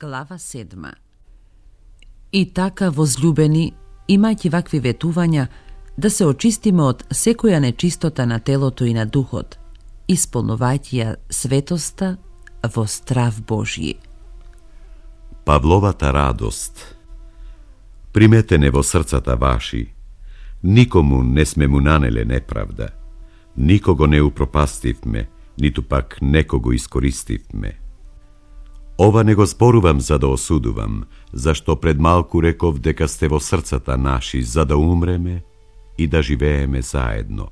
Глава 7. И така, возлюбени, имајќи вакви ветувања, да се очистиме од секоја нечистота на телото и на духот, исполнувајќи ја светоста во страв Божји. Павловата радост. Приметене во срцата ваши, никому не сме му нанеле неправда, никого не упропастивме, ниту пак некого искористивме. Ова не го зборувам за да осудувам, зашто пред малку реков дека сте во срцата наши за да умреме и да живееме заедно.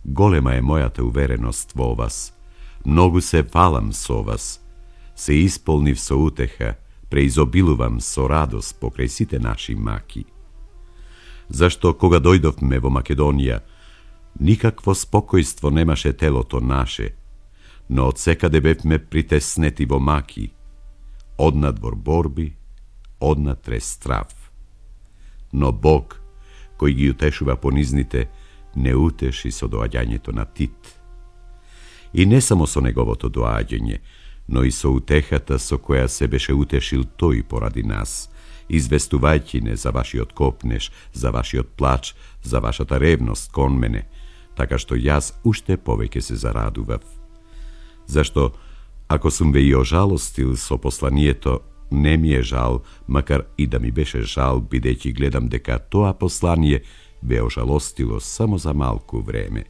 Голема е мојата увереност во вас, многу се фалам со вас, се исполнив со утеха, преизобилувам со радост покрај сите наши маки. Зашто кога дојдовме во Македонија, никакво спокојство немаше телото наше, но од секаде бевме притеснети во маки, однадвор борби, однатре страв. Но Бог, кој ги утешува понизните, не утеши со доаѓањето на Тит. И не само со неговото доаѓање, но и со утехата со која се беше утешил тој поради нас, известувајќи не за вашиот копнеш, за вашиот плач, за вашата ревност кон мене, така што јас уште повеќе се зарадував. Зашто, ако сум ве и ожалостил со посланието, не ми е жал, макар и да ми беше жал, бидејќи гледам дека тоа послание ве ожалостило само за малку време.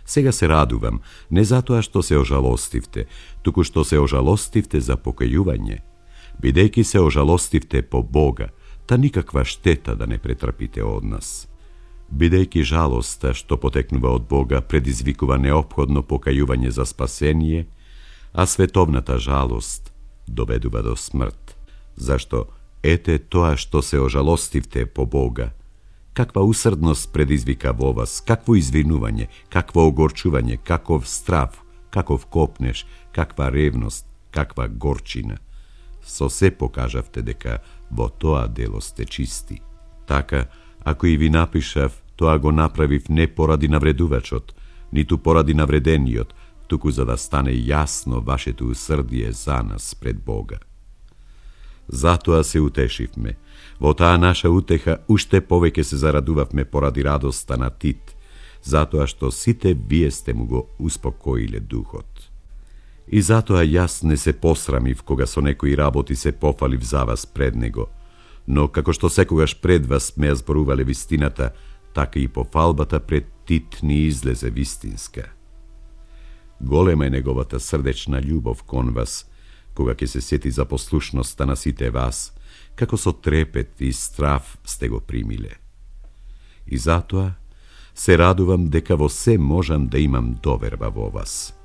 Сега се радувам, не затоа што се ожалостивте, туку што се ожалостивте за покајување. Бидејќи се ожалостивте по Бога, та никаква штета да не претрпите од нас. Бидејќи жалоста што потекнува од Бога предизвикува неопходно покајување за спасение, а световната жалост доведува до смрт. Зашто, ете тоа што се ожалостивте по Бога, каква усрдност предизвика во вас, какво извинување, какво огорчување, каков страв, каков копнеш, каква ревност, каква горчина. Со се покажавте дека во тоа дело сте чисти. Така, ако и ви напишав, тоа го направив не поради навредувачот, ниту поради навредениот, туку за да стане јасно вашето усрдие за нас пред Бога. Затоа се утешивме. Во таа наша утеха уште повеќе се зарадувавме поради радоста на Тит, затоа што сите вие сте му го успокоиле духот. И затоа јас не се посрамив кога со некои работи се пофалив за вас пред него, но како што секогаш пред вас ме ја зборувале вистината, така и пофалбата пред Тит ни излезе вистинска. Голема е неговата срдечна љубов кон вас, кога ќе се сети за послушноста на сите вас, како со трепет и страв сте го примиле. И затоа се радувам дека во се можам да имам доверба во вас.